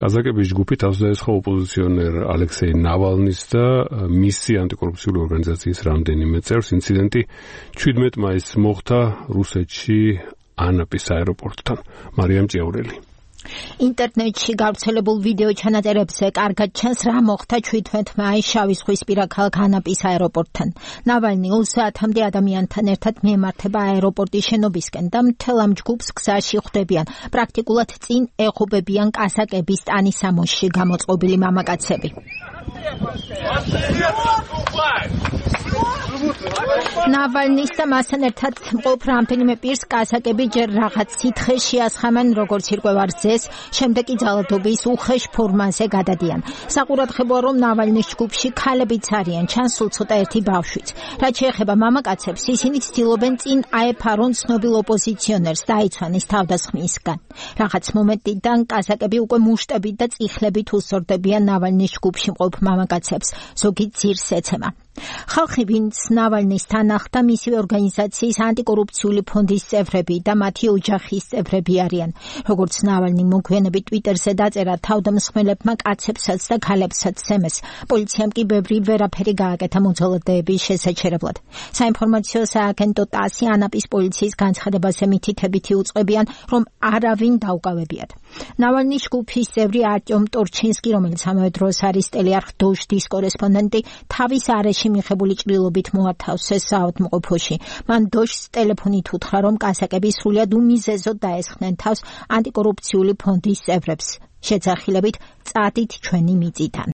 კაზაკების ჯგუფი თავს დაესხა ოპოზიციონერ ალექსეი ნავალნის და მისი ანტიკორუფციული ორგანიზაციის რამდენიმე წევრს. ინციდენტი 17 მაისს მოხდა რუსეთში ანაპის აეროპორტთან. მარიამ ჭიაურელი. ინტერნეტში გავრცელებულ ვიდეო ჩანაწერებზე კარგად ჩანს რა მოხდა 17 მაისს შავიზღვისპირა ქალაქ ანაპის აეროპორტთან. ნავალნი 2 საათამდე ადამიანთან ერთად მიემართება აეროპორტის შენობისკენ და მთელ ამ ჯგუფს გზაში ხვდებიან. პრაქტიკულად წინ ეღობებიან კაზაკების ტანის სამოსში გამოწყობილი მამაკაცები. ნავალნის და მასთან ერთად მყოფ რამდენიმე პირს კაზაკები ჯერ რაღაც სითხეს შეასხამენ, როგორც ირკვევარ ძეს, შემდეგ კი ძალადობის უხეშ ფორმაზე გადადიან. საყურადღებოა, რომ ნავალნის ჯგუფში ქალებიც არიან, ჩანს სულ ცოტა ერთი ბავშვიც. რაც შეეხება მამაკაცებს, ისინი ცდილობენ წინ აეფარონ ცნობილ ოპოზიციონერს, დაიცვანის თავდასხმისგან. რაღაც მომენტიდან კაზაკები უკვე მუშტებით და წიხლებით უსწორდებიან ნავალნის ჯგუფში მყოფ მამაკაცებს, ზოგი ძირს ეცემა. ხალხი, ვინც ნავალნის თან ახლდა, მისივე ორგანიზაციის ანტიკორუფციული ფონდის წევრები და მათი ოჯახის წევრები არიან. როგორც ნავალნი მოგვიანებით ტვიტერზე დაწერა, თავდამსხმელებმა კაცებსაც და ქალებსაც სცემეს. პოლიციამ კი ბევრი ვერაფერი გააკეთა მოძალადეების შესაჩერებლად. საინფორმაციო სააგენტო ტასი ანაპის პოლიციის განცხადებაზე მითითებითი უწყებიან, რომ არავინ დაუკავებიათ. ნავალნის ჯგუფის წევრი არტიომ ტორჩინსკი, რომელიც ამავე დროს არის ტელეარხ დოჟდის კორესპონდენტი, თავის არეში მიღებული ჭრილობით მოათავსეს საავადმყოფოში. მან დოჟს ტელეფონით უთხრა, რომ კაზაკები სრულად უმიზეზოდ დაესხნენ თავს ანტიკორუფციული ფონდის წევრებს. შეძახილებით წადით ჩვენი მიწიდან.